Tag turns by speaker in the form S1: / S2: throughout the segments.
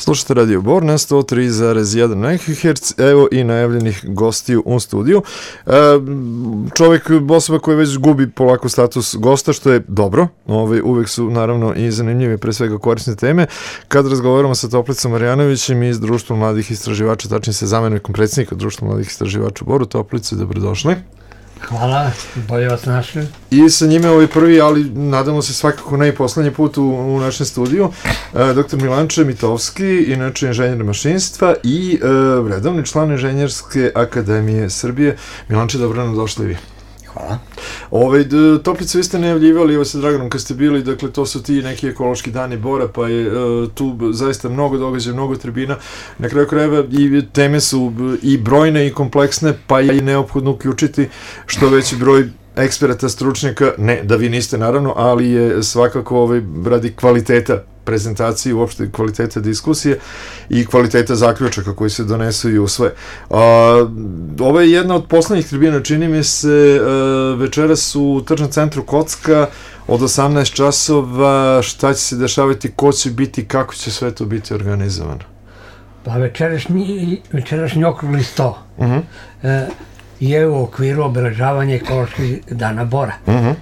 S1: Slušate Radio Bor na 103,1 MHz, evo i najavljenih gostiju u studiju. Čovjek, osoba koja već gubi polako status gosta, što je dobro, uvek su naravno i zanimljive, pre svega korisne teme. Kad razgovaramo sa Toplicom Marjanovićem iz Društva mladih istraživača, tačnije se zamenikom predsjednika Društva mladih istraživača u Boru. Toplice, dobrodošli.
S2: Hvala, bolje vas našli.
S1: I sa njime prvi, ali nadamo se svakako ne i poslednji put u našem studiju, dr. Milanče Mitovski, inače inženjer mašinstva i redovni član Inženjerske akademije Srbije. Milanče, dobro nam došli vi.
S3: Hvala.
S1: Toplice, vi ste najavljivali, evo sa Draganom kad ste bili, dakle to su ti neki ekološki dani Bora, pa je tu zaista mnogo događaja, mnogo tribina. Na kraju krajeva i teme su i brojne i kompleksne, pa je i neophodno uključiti što veći broj eksperata, stručnjaka, ne da vi niste naravno, ali je svakako radi kvaliteta prezentacije, uopšte kvaliteta diskusije i kvaliteta zaključaka koji se donesu i usvoje. Ovo je jedna od poslednjih tribina, čini mi se, večeras u tržnom centru Kocka od 18 časova. Šta će se dešavati, ko će biti, kako će sve to biti organizovano?
S2: Pa večerašnji okrugli sto je u okviru obeležavanja ekoloških dana Bora.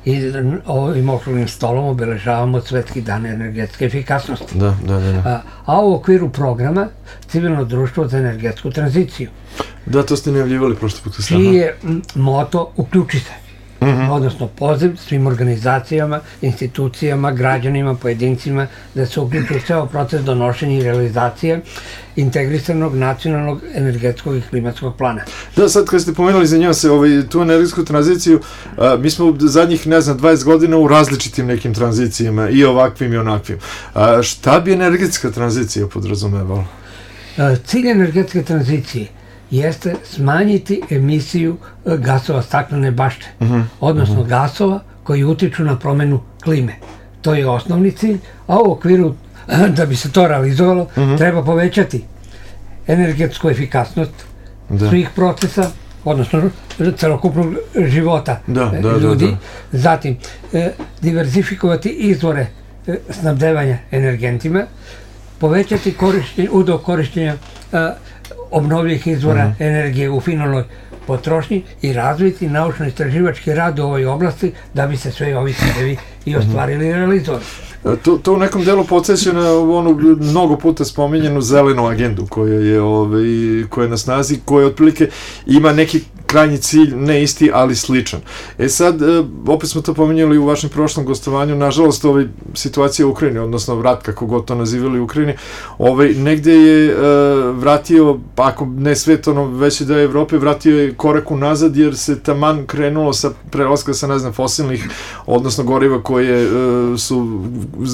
S2: I ovim okruglim stolom obeležavamo Svetski dan energetske efikasnosti. A u okviru programa Civilno društvo za energetsku tranziciju.
S1: Da, to ste najavljivali prošli put.
S2: Čiji je moto uključi se. Odnosno poziv svim organizacijama, institucijama, građanima, pojedincima da se uključu u ceo proces donošenja i realizacije integrisanog nacionalnog energetskog i klimatskog plana.
S1: Da, sad kad ste pomenuli za njima se tu energetsku tranziciju, mi smo zadnjih, 20 godina u različitim nekim tranzicijama, i ovakvim i onakvim. Šta bi energetska tranzicija podrazumevala?
S2: Cilj energetske tranzicije jeste smanjiti emisiju gasova staklene bašte, odnosno gasova koji utiču na promenu klime. To je osnovni cilj, a u okviru, da bi se to realizovalo, treba povećati energetsku efikasnost svih procesa, odnosno celokupnog života ljudi, zatim diverzifikovati izvore snabdevanja energentima, povećati udeo korišćenja obnovljivih izvora energije u finalnoj potrošnji i razviti naučno-istraživački rad u ovoj oblasti da bi se sve ovi ciljevi i ostvarili i realizovali.
S1: To u nekom delu podsjeća na onu mnogo puta spominjenu zelenu agendu koja je na snazi, koja otprilike ima neki krajnji cilj, ne isti, ali sličan. Sad, opet smo to pominjali u vašem prošlom gostovanju, nažalost, situacija u Ukrajini, odnosno rat, kako god to nazivali u Ukrajini, negde je vratio, ako ne svet, veći deo Evrope, vratio je korak unazad, jer se taman krenulo sa prelaska sa, fosilnih, odnosno goriva koje su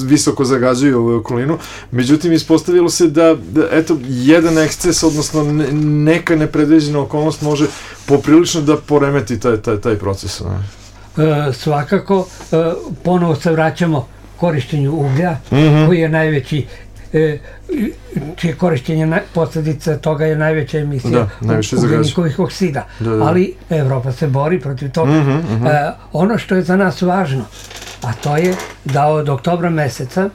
S1: visoko zagađuju okolinu. Međutim, ispostavilo se da, eto, jedan eksces, odnosno neka nepredviđena okolnost može poprilično da poremeti taj proces.
S2: Svakako, ponovo se vraćamo korišćenju uglja, koji je najveći, čije korišćenje posljedica toga je najveća emisija ugljenikovih oksida. Ali Evropa se bori protiv toga. Ono što je za nas važno, a to je da od oktobra meseca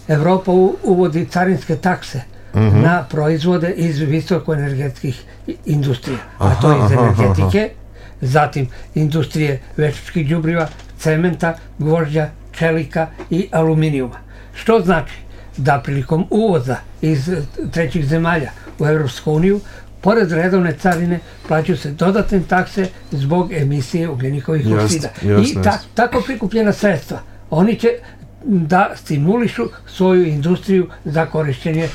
S2: Evropa uvodi carinske takse na proizvode iz visokoenergetskih industrija, a to je iz energetike, zatim industrije veštačkih đubriva, cementa, gvožđa, čelika i aluminijuma. Što znači da prilikom uvoza iz trećih zemalja u Evropsku uniju, pored redovne carine, plaćaju se dodatne takse zbog emisije ugljenikovih oksida. I tako prikupljena sredstva, oni će da stimulišu svoju industriju za korišćenje,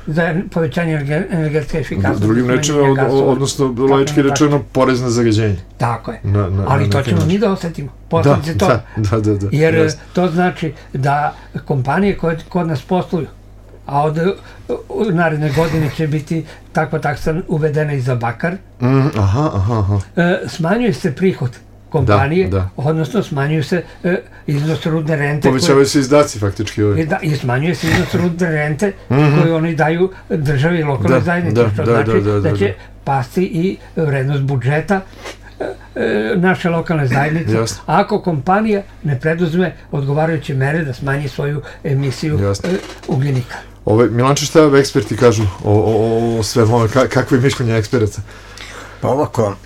S2: za povećanje energetske efikasnosti.
S1: Drugim rečima, odnosno laički rečeno, porez na zagađenje.
S2: Tako je, ali to ćemo mi da osetimo, posljedice toga. Jer to znači da kompanije koje kod nas posluju, a od naredne godine će biti takva taksa uvedena i za bakar, smanjuje se prihod kompanije, odnosno smanjuju se iznos rudne rente.
S1: Povećavaju se izdaci faktički.
S2: I smanjuje se iznos rudne rente koju oni daju državi i lokalnoj zajednici, što znači da će pasti i vrednost budžeta naše lokalne zajednice, ako kompanija ne preduzme odgovarajuće mere da smanji svoju emisiju ugljenika.
S1: Milanče, šta eksperti kažu o svemu ove, kakve mišljenje eksperata?
S3: Pa ovako,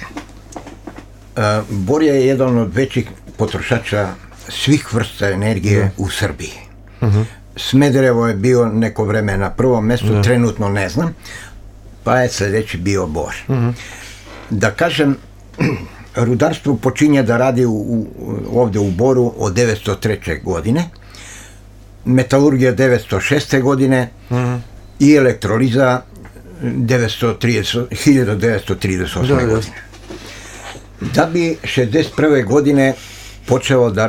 S3: bor je jedan od većih potrošača svih vrsta energije u Srbiji. Smederevo je bio neko vreme na prvom mestu, trenutno ne znam, pa je sledeći bio bor. Da kažem, rudarstvo počinje da radi ovde u Boru od 903. godine, metalurgija 906. godine i elektroliza 1938. godine. Da bi 61. godine počeo da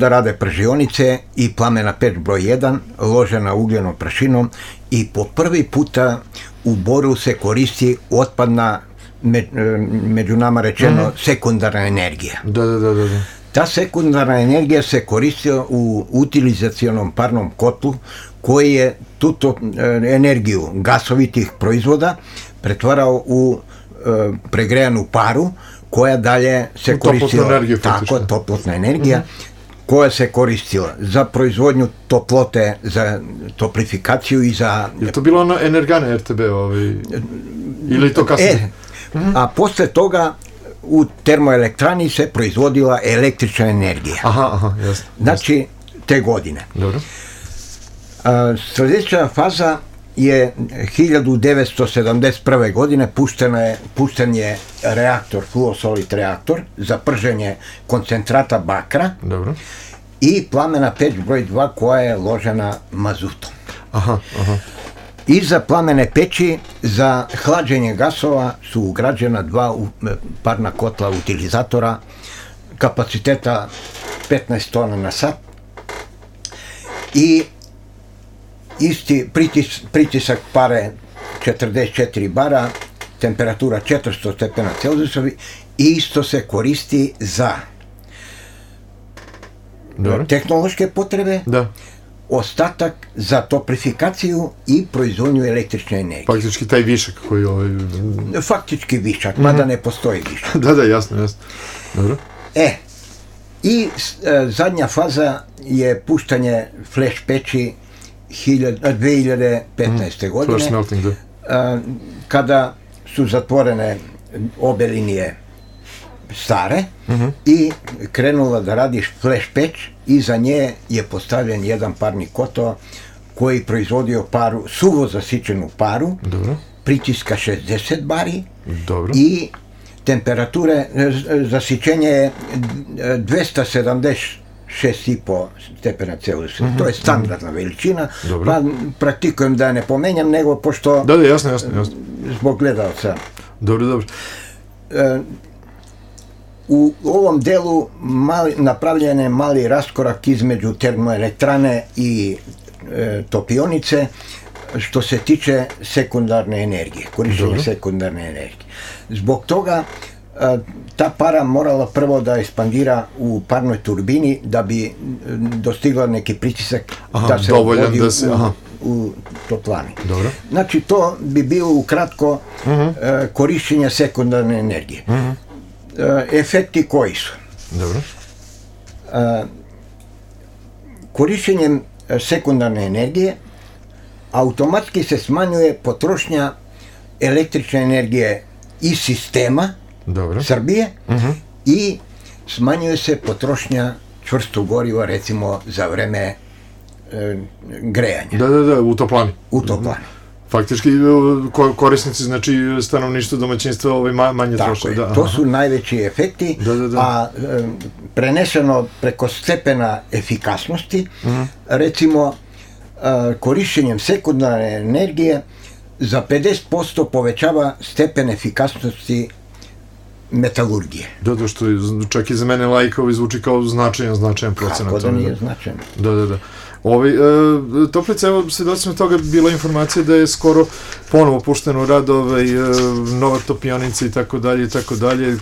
S3: rade pržionice i plamena peć broj 1, ložena ugljenom prašinom, i po prvi puta u Boru se koristi otpadna, među nama rečeno, sekundarna energija.
S1: Da.
S3: Ta sekundarna energija se koristila u utilizacionom parnom kotlu, koji je tu energiju gasovitih proizvoda pretvarao u pregrejanu paru, koja dalje se koristila, tako, toplotna energija, koja se koristila za proizvodnju toplote, za toplifikaciju i za...
S1: Je to bilo ono Energane RTB ili to kasnije?
S3: A posle toga u termoelektrani se proizvodila električna energija.
S1: Aha, jasno.
S3: Znači, te godine.
S1: Dobro.
S3: Sledeća faza je 1971. godine pušten je reaktor, fluosolit reaktor za prženje koncentrata bakra.
S1: Dobro.
S3: I plamena peć broj 2 koja je ložena mazutom.
S1: Aha.
S3: Iza plamene peći za hlađenje gasova su ugrađena 2 parna kotla utilizatora kapaciteta 15 tona na sat i isti pritisak pare 44 bara, temperatura 400 stepena Celzijusovi, i isto se koristi za tehnološke potrebe, ostatak za toplifikaciju i proizvodnju električne energije.
S1: Faktički taj višak koji je...
S3: Faktički višak, mada ne postoji višak.
S1: Da, jasno. Dobro.
S3: I zadnja faza je puštanje flash peći 2015. godine, kada su zatvorene obe linije stare i krenula da radi flash peć, i za nje je postavljen jedan parni kotao koji proizvodio paru, suvo zasičenu paru, pritiska 60 bari i temperature, zasićenje je 276,5 stepena Celzijusa. To je standardna veličina, pa praktikujem da ne pomenjam, nego pošto...
S1: Da, jasno.
S3: Zbog gledalca.
S1: Dobro.
S3: U ovom delu napravljen je mali raskorak između termoelektrane i topionice, što se tiče sekundarne energije, korišćenja sekundarne energije. Zbog toga ta para morala prvo da ekspandira u parnoj turbini da bi dostigla neki pritisak da se odvodi u toplani. Znači, to bi bilo ukratko korišćenje sekundarne energije. Efekti koji su? Korišćenjem sekundarne energije automatski se smanjuje potrošnja električne energije iz sistema Srbije i smanjuje se potrošnja čvrstog goriva, recimo za vreme grejanja.
S1: Da, u toplani. Faktički korisnici, znači stanovništvo domaćinstva manje troše.
S3: To su najveći efekti, a preneseno preko stepena efikasnosti, recimo korišćenjem sekundarne energije za 50% povećava stepen efikasnosti metalurgije.
S1: Da, što čak i za mene laika zvuči kao značajan procenat.
S3: Kako da nije značajan?
S1: Da. Toplica, evo, svedoci smo toga, bila informacija da je skoro ponovo pušteno u rad nova topionica i tako dalje,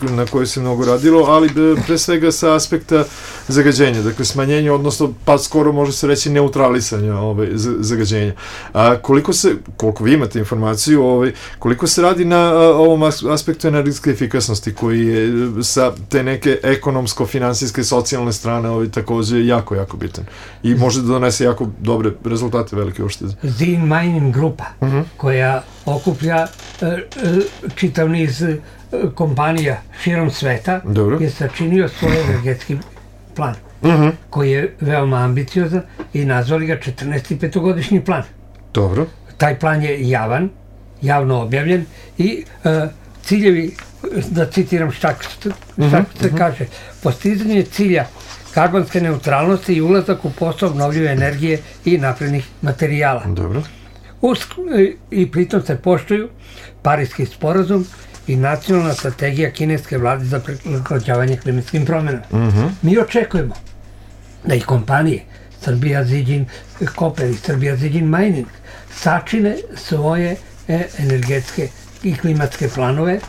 S1: na kojoj se mnogo radilo, ali pre svega sa aspekta zagađenja, dakle smanjenja, odnosno pa skoro može se reći neutralisanja zagađenja. Koliko vi imate informaciju, koliko se radi na ovom aspektu energetske efikasnosti koji je sa te neke ekonomsko-finansijske socijalne strane takođe jako bitan i može da donese jako dobre rezultate, velike uštede.
S2: Zin Mining grupa, koja okuplja čitav niz kompanija širom sveta, je sačinio svoj energetski plan, koji je veoma ambiciozan i nazvali ga 14. petogodišnji plan.
S1: Dobro.
S2: Taj plan je javan, javno objavljen i ciljevi, da citiram šta se kaže, postizanje cilja karbonske neutralnosti i ulazak u posao obnovljive energije i naprednih materijala.
S1: Dobro.
S2: I pritom se poštuju Pariski sporazum i nacionalna strategija kineske vlade za prilagođavanje klimatskim promjenama. Mi očekujemo da i kompanije Srbija Ziđin Koper i Srbija Ziđin Mining sačine svoje energetske i klimatske planove,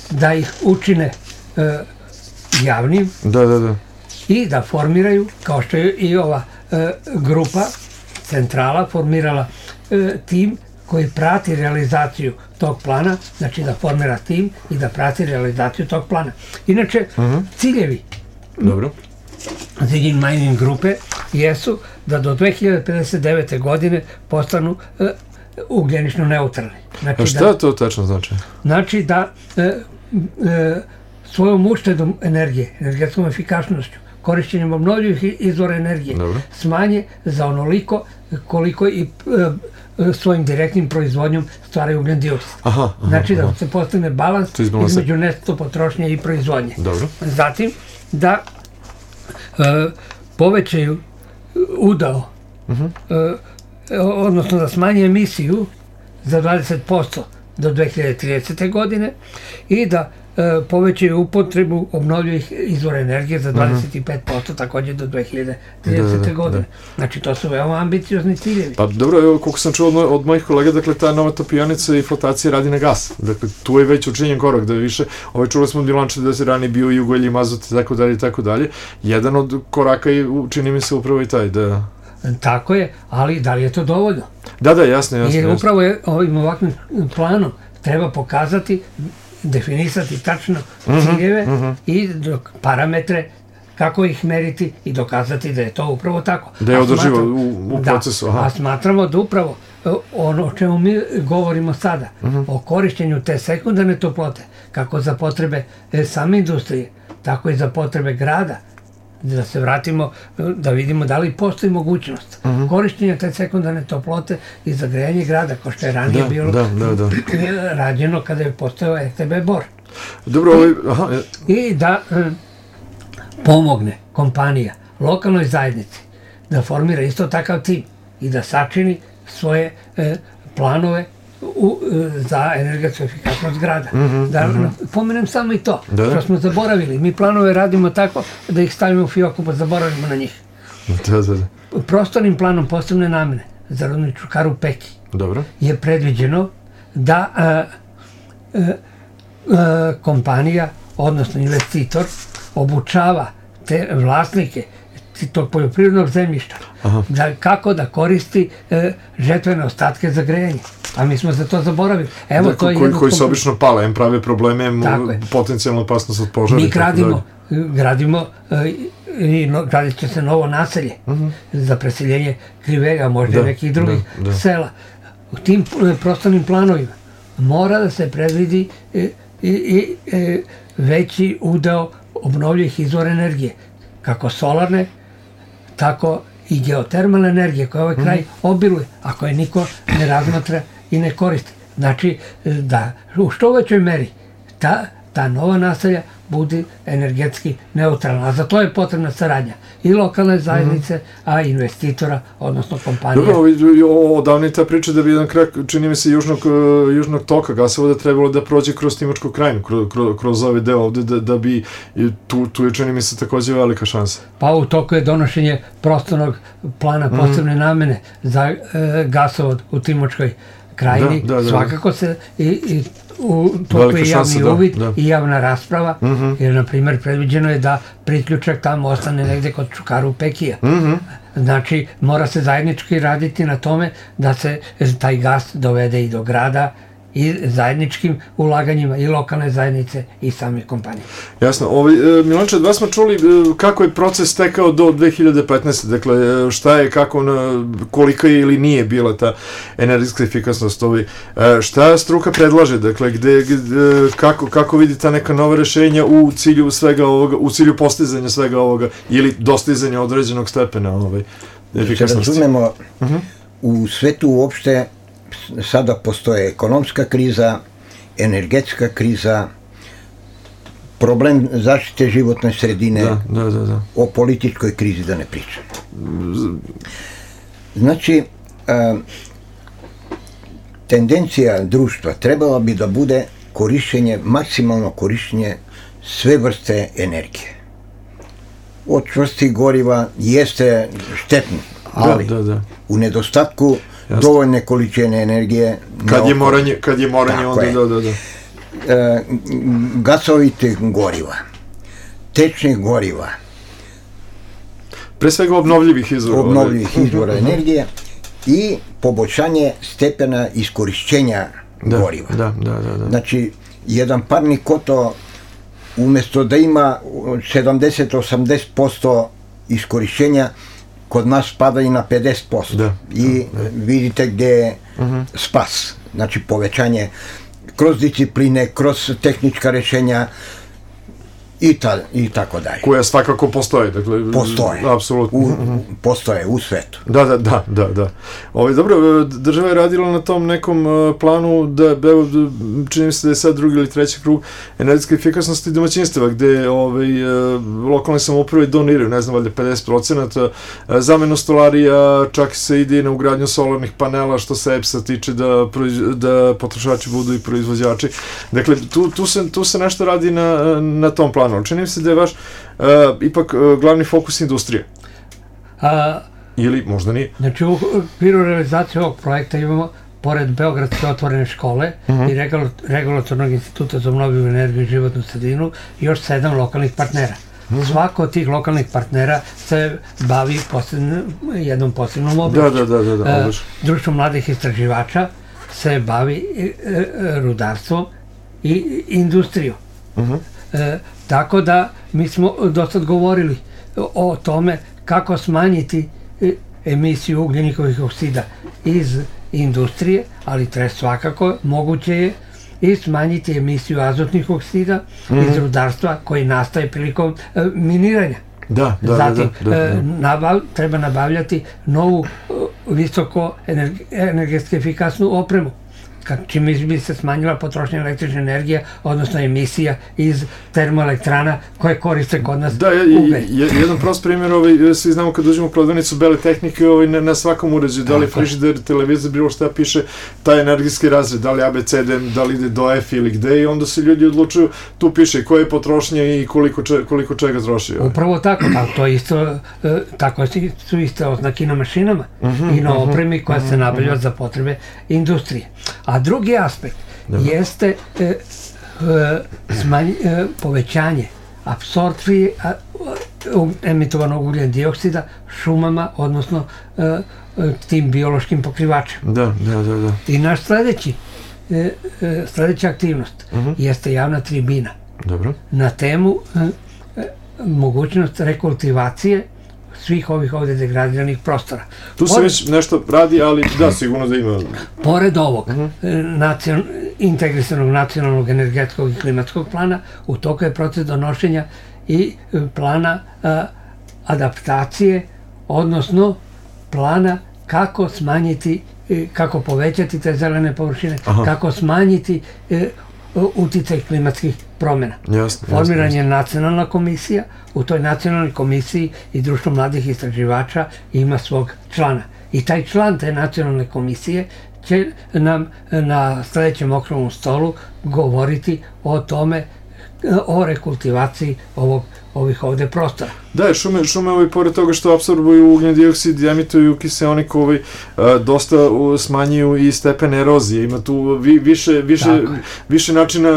S2: da ih učine javnim i da formiraju, kao što je i ova grupa centrala formirala tim koji prati realizaciju tog plana, znači da formira tim i da prati realizaciju tog plana. Inače, ciljevi Ziđin Mining grupe jesu da do 2059. godine postanu ugljenično neutralni.
S1: A šta to tačno znači?
S2: Znači da svojom uštedom energije, energetskom efikasnošću, korišćenjem obnovljivih izvora energije, smanje za onoliko koliko i svojim direktnim proizvodnjom stvaraju ugljen dioksid. Znači da se postigne balans između neto potrošnje i proizvodnje. Zatim da povećaju udao, odnosno da smanje emisiju za 20% do 2030. godine i da povećaju upotrebu obnovljivih izvora energije za 25% također do 2030. godine. Znači, to su veoma ambiciozni ciljevi.
S1: Pa dobro, evo, koliko sam čuo od mojih kolega, dakle, ta nova topionica i flotacija radi na gas. Dakle, tu je već učinjen korak, da više, čuli smo od Milanča da se ranije bio i ugalj i mazut i tako dalje. Jedan od koraka je, čini mi se, upravo i taj, da...
S2: Tako je, ali da li je to dovoljno?
S1: Da, jasno.
S2: Jer upravo je ovim ovakvim planom treba pokazati, definisati tačno ciljeve i parametre, kako ih meriti i dokazati da je to upravo tako.
S1: Da je održivo u procesu.
S2: A smatramo da upravo ono o čemu mi govorimo sada, o korišćenju te sekundarne toplote, kako za potrebe same industrije, tako i za potrebe grada, da se vratimo, da vidimo da li postoji mogućnost korišćenja te sekundarne toplote i za grejanje grada, kao što je ranije bilo rađeno kada je postojao RTB Bor. I da pomogne kompanija lokalnoj zajednici da formira isto takav tim i da sačini svoje planove za energetsku efikasnost grada. Da pomenem samo i to, što smo zaboravili. Mi planove radimo tako da ih stavimo u fioku pa zaboravimo na njih. Prostornim planom posebne namene za rudničku Karu Peki je predviđeno da kompanija, odnosno investitor, obučava te vlasnike tog poljoprivrednog zemljišta kako da koristi žetvene ostatke za grejanje. A mi smo za to zaboravili.
S1: Koji se obično pale, prave probleme, potencijalna opasnost od požara.
S2: Mi gradimo i gradit će se novo naselje za preseljenje Krivega, možda i nekih drugih sela. U tim prostornim planovima mora da se predvidi i veći udeo obnovljivih izvora energije, kako solarne, tako i geotermalne energije koje ovaj kraj obiluje, a koje niko ne razmatra i ne koristi. Znači da u što većoj meri ta nova naselja bude energetski neutralna, a za to je potrebna saradnja i lokalne zajednice, a investitora, odnosno kompanija.
S1: Dobro, odavno je ta priča da bi jedan krak, čini mi se, južnog toka gasovoda trebalo da prođe kroz Timočku krajinu, kroz ovaj deo ovde, da bi, tu je, čini mi se, takođe velika šansa.
S2: Pa u toku je donošenje prostornog plana posebne namene za gasovod u Timočkoj krajini. Svakako se i u toku je javni uvid i javna rasprava, jer, na primjer, predviđeno je da priključak tamo ostane negde kod Čukaru Pekija. Znači, mora se zajednički raditi na tome da se taj gas dovede i do grada i zajedničkim ulaganjima i lokalne zajednice i same kompanije.
S1: Jasno. Milanče, od vas smo čuli kako je proces tekao do 2015. Dakle, šta je, kako, kolika je ili nije bila ta energetska efikasnost. Šta struka predlaže? Dakle, kako vidi ta neka nova rešenja u cilju svega ovoga, u cilju postizanja svega ovoga ili dostizanja određenog stepena efikasnosti?
S3: Se razumemo, u svetu uopšte sada postoje ekonomska kriza, energetska kriza, problem zaštite životne sredine, o političkoj krizi da ne pričam. Znači, tendencija društva trebala bi da bude maksimalno korišćenje sve vrste energije. Od čvrstih goriva jeste štetno, ali u nedostatku dovoljne količine energije.
S1: Kad je moranje onda
S3: gasovitih goriva, tečnih goriva.
S1: Pre svega obnovljivih
S3: izvora energije i poboljšanje stepena iskorišćenja goriva. Znači, jedan parni koto umjesto da ima 70-80% iskorišćenja, kod nas pada i na 50%. I vidite gde je spas. Znači, povećanje kroz discipline, kroz tehnička rešenja i tako dalje.
S1: Koja svakako postoje.
S3: Postoje.
S1: Apsolutno.
S3: Postoje u svetu.
S1: Da. Dobro, država je radila na tom nekom planu da, čini mi se da je sad drugi ili treći krug energetske efikasnosti domaćinstava, gde lokalne samouprave doniraju, ne znam, valjda 50%, zamenu stolarija, čak se ide na ugradnju solarnih panela, što se EPS-a tiče, da potrošači budu i proizvođači. Dakle, tu se nešto radi na tom planu. Čini mi se da je vaš ipak glavni fokus industrije. Ili možda nije.
S2: Znači, u okviru realizacije ovog projekta imamo, pored Beogradske otvorene škole i Regulatornog instituta za obnovljivu energiju i životnu sredinu, još 7 lokalnih partnera. Svako od tih lokalnih partnera se bavi jednom posebnom oblašću. Društvo mladih istraživača se bavi rudarstvom i industrijom. Tako da mi smo dosad govorili o tome kako smanjiti emisiju ugljenikovih oksida iz industrije, ali svakako moguće je i smanjiti emisiju azotnih oksida iz rudarstva koji nastaje prilikom miniranja. Zatim, treba nabavljati novu visoko energetski efikasnu opremu, čime bi se smanjila potrošnja električne energije, odnosno emisija iz termoelektrana koje koriste kod nas ugalj.
S1: Jedan prost primjer, svi znamo kad uđemo u prodavnicu bele tehnike, na svakom uređaju, da li frižider, televizor, bilo šta piše, taj energijski razred, da li ABCD, da li ide do F ili gde, i onda se ljudi odlučuju, tu piše koje je potrošnja i koliko čega troši.
S2: Upravo tako, to isto, tako su iste oznaki na mašinama i na opremi koja se nabavlja za potrebe industrije. A drugi aspekt jeste povećanje apsorpcije emitovanog ugljen dioksida šumama, odnosno tim biološkim pokrivačima. I naš sledeća aktivnost jeste javna tribina na temu mogućnost rekultivacije svih ovih ovde degradiranih prostora.
S1: Tu se već nešto radi, ali da, sigurno da ima.
S2: Pored ovog integrisanog nacionalnog energetskog i klimatskog plana, u toku je proces donošenja i plana adaptacije, odnosno plana kako smanjiti, kako povećati te zelene površine, kako smanjiti uticaj klimatskih promjena. Formiran je nacionalna komisija, u toj nacionalnoj komisiji i Društvo mladih istraživača ima svog člana. I taj član te nacionalne komisije će nam na sledećem okruglom stolu govoriti o tome, o rekultivaciji ovih ovde prostora.
S1: Da, šume pored toga što apsorbuju ugljen dioksid i emituju kiseonik, dosta smanjuju i stepen erozije. Ima tu više načina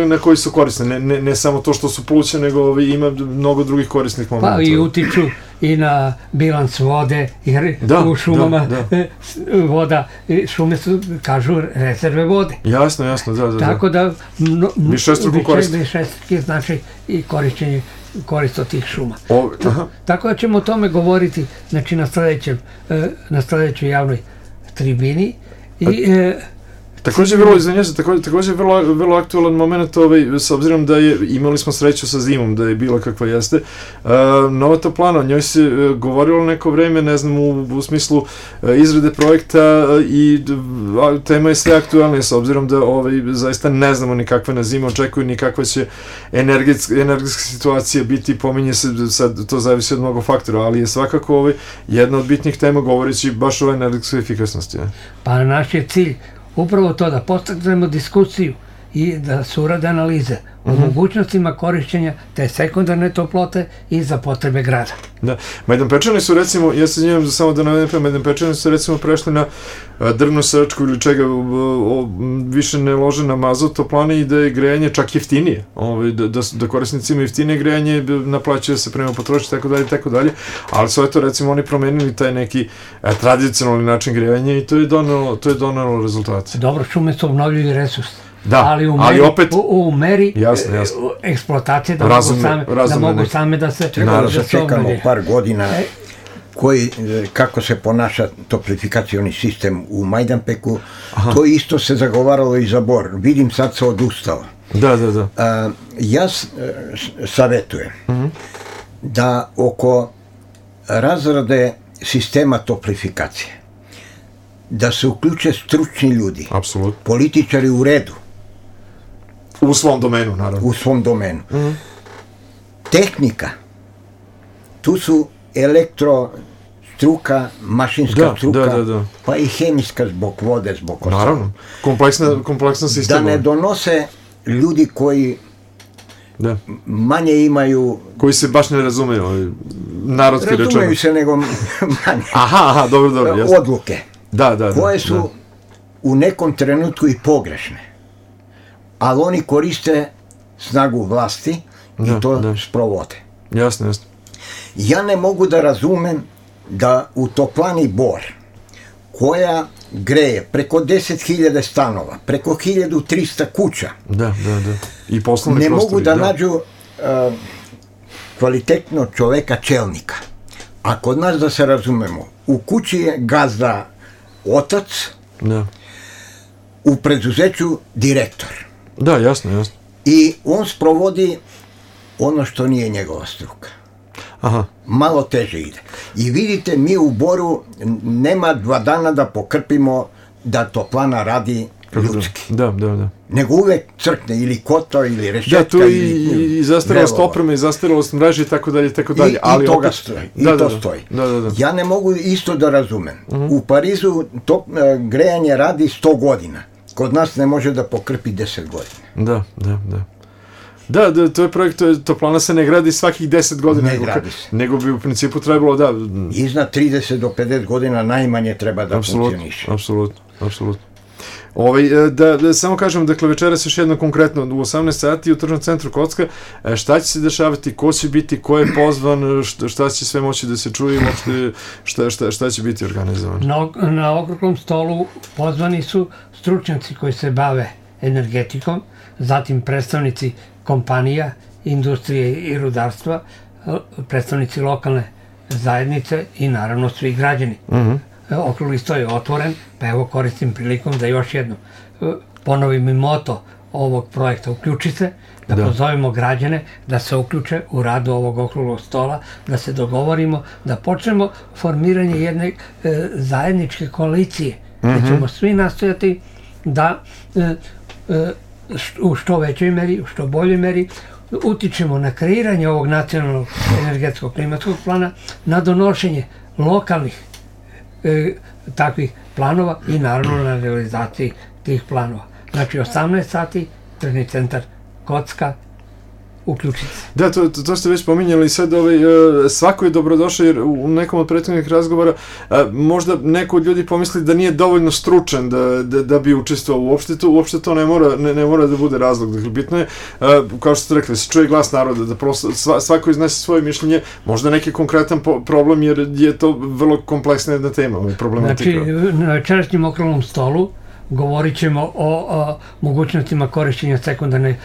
S1: na koji su korisne. Ne samo to što su pluća, nego ima mnogo drugih korisnih momenta.
S2: Pa i utiču i na bilans vode, jer u šumama voda, šume su, kažu, rezerve vode.
S1: Jasno, da.
S2: Tako da
S1: višestruko korist.
S2: Višestruki znači i korist od tih šuma. Tako da ćemo o tome govoriti, znači, na sledećoj javnoj tribini.
S1: Također vrlo aktualan moment, s obzirom da imali smo sreću sa zimom, da je bila kakva jeste. Nova toplana, o njoj se govorilo neko vreme, ne znam, u smislu izrade projekta, i tema je sve aktualnija, s obzirom da zaista ne znamo ni kakva na zima očekuju, ni kakva će energetska situacija biti, pominje se, sad to zavisi od mnogo faktora, ali je svakako jedna od bitnih tema govoreći baš o energetskoj efikasnosti.
S2: Pa naš je cilj upravo to, da podstaknemo diskusiju i da se urade analize o mogućnostima korišćenja te sekundarne toplote i za potrebe grada.
S1: Da, Majdanpečani su, recimo, ja se njemam samo da navedem, Majdanpečani su, recimo, prešli na drvnu sečku ili čega, više ne lože na mazut toplane i da je grejanje čak jeftinije, da korisnici imaju jeftinije grejanje, naplaćuje se prema potrošnji, tako dalje, ali su eto, recimo, oni promenili taj neki tradicionalni način grejanja i to je donelo rezultate.
S2: Dobro, šume su obnovljivi resurs.
S1: Da,
S2: ali opet u meri eksploatacije da mogu same da se...
S3: Trebalo da čekamo par godina kako se ponaša toplifikacioni sistem u Majdanpeku. To isto se zagovaralo i za Bor. Vidim, sad se odustalo.
S1: Da.
S3: Ja savjetujem da oko razrade sistema toplifikacije da se uključe stručni ljudi, političari u redu.
S1: U svom domenu, naravno.
S3: U svom domenu. Tehnika, tu su elektrostruka, mašinska struka, pa i hemijska zbog vode, zbog ostalog.
S1: Naravno, kompleksna sistema.
S3: Da ne donose ljudi koji manje imaju...
S1: Koji se baš ne razumeju, narodski rečeno.
S3: Razumeju se, nego manje.
S1: Aha, dobro, jasno.
S3: Odluke. Koje su u nekom trenutku i pogrešne. Ali oni koriste snagu vlasti i to sprovode.
S1: Jasno.
S3: Ja ne mogu da razumem da u toplani Bor, koja greje preko 10.000 stanova, preko 1.300 kuća,
S1: i poslovni
S3: ne
S1: prostori,
S3: mogu da nađu kvalitetnog čoveka čelnika. A kod nas, da se razumemo, u kući je gazda otac, u preduzeću direktor.
S1: Da, jasno.
S3: I on sprovodi ono što nije njegova struka. Malo teže ide. I vidite, mi u Boru nema 2 dana da pokrpimo da toplana radi ljudski.
S1: Da.
S3: Nego uvek crkne ili kotao ili rešetka.
S1: Da, tu i zastarelost opreme i zastarelost mreže i tako dalje.
S3: I toga stoji. I to stoji. Ja ne mogu isto da razumem. U Parizu grejanje radi 100 godina. Kod nas ne može da pokrpi 10 godina.
S1: Da, to je projekt, toplana se ne gradi svakih 10 godina, nego bi u principu trebalo
S3: iznad 30 do 50 godina najmanje treba da funkcioniše.
S1: Apsolutno. Da samo kažem, dakle, večeras još jedno konkretno, u 18 sati u Tržnom centru Kocka, šta će se dešavati, ko će biti, ko je pozvan, šta će sve moći da se čuje, šta će biti organizovano?
S2: Na okruglom stolu pozvani su stručnjaci koji se bave energetikom, zatim predstavnici kompanija, industrije i rudarstva, predstavnici lokalne zajednice i naravno svi građani. Okrugli sto je otvoren, pa evo koristim prilikom da još jednom ponovim i moto ovog projekta "Uključi se", da pozovemo građane da se uključe u radu ovog okruglog stola, da se dogovorimo, da počnemo formiranje jedne zajedničke koalicije, da ćemo svi nastojati da u što većoj meri, u što boljoj meri utičemo na kreiranje ovog nacionalnog energetskog klimatskog plana, na donošenje lokalnih takvih planova i naravno na realizaciji tih planova. Znači 18 sati, Tržni centar Kocka, uključiti.
S1: Da, to ste već pominjali sad, svako je dobrodošao, jer u nekom od prethodnih razgovora možda neko od ljudi pomisli da nije dovoljno stručan da bi učestvovao uopšte to ne mora da bude razlog. Dakle, bitno je, kao što ste rekli, se čuje glas naroda, da prosto svako iznese svoje mišljenje, možda neki konkretan problem, jer je to vrlo kompleksna jedna tema, problematika.
S2: Znači, na večerašnjem okruglom stolu govorit ćemo o mogućnostima korišćenja sekundarne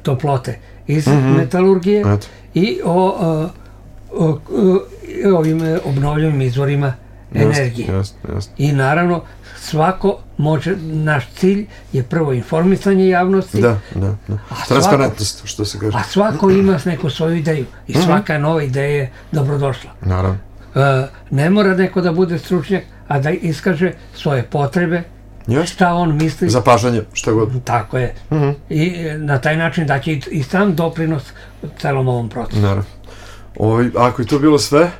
S2: toplote iz metalurgije i o ovim obnovljivim izvorima energije. I naravno, svako može, naš cilj je prvo informisanje javnosti.
S1: Da. Transparentnost, što se kaže.
S2: A svako ima neku svoju ideju i svaka nova ideja je dobrodošla.
S1: Naravno.
S2: Ne mora neko da bude stručnjak, a da iskaže svoje potrebe, šta on misli.
S1: Zapažanje, šta god.
S2: Tako je. I na taj način daće i sam doprinos celom ovom procesu.
S1: Naravno. Ako je to bilo sve,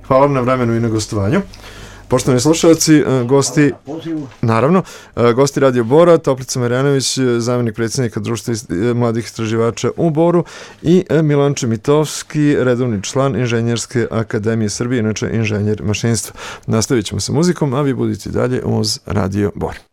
S1: hvala na vremenu i na gostovanju. Poštovani slušalci, gosti, naravno, gosti Radio Bora, Toplica Marjanović, zamjenik predsjednika Društva mladih istraživača u Boru, i Milan Čemitovski, redovni član Inženjerske akademije Srbije, inače inženjer mašinstva. Nastavit ćemo sa muzikom, a vi budite dalje uz Radio Bor.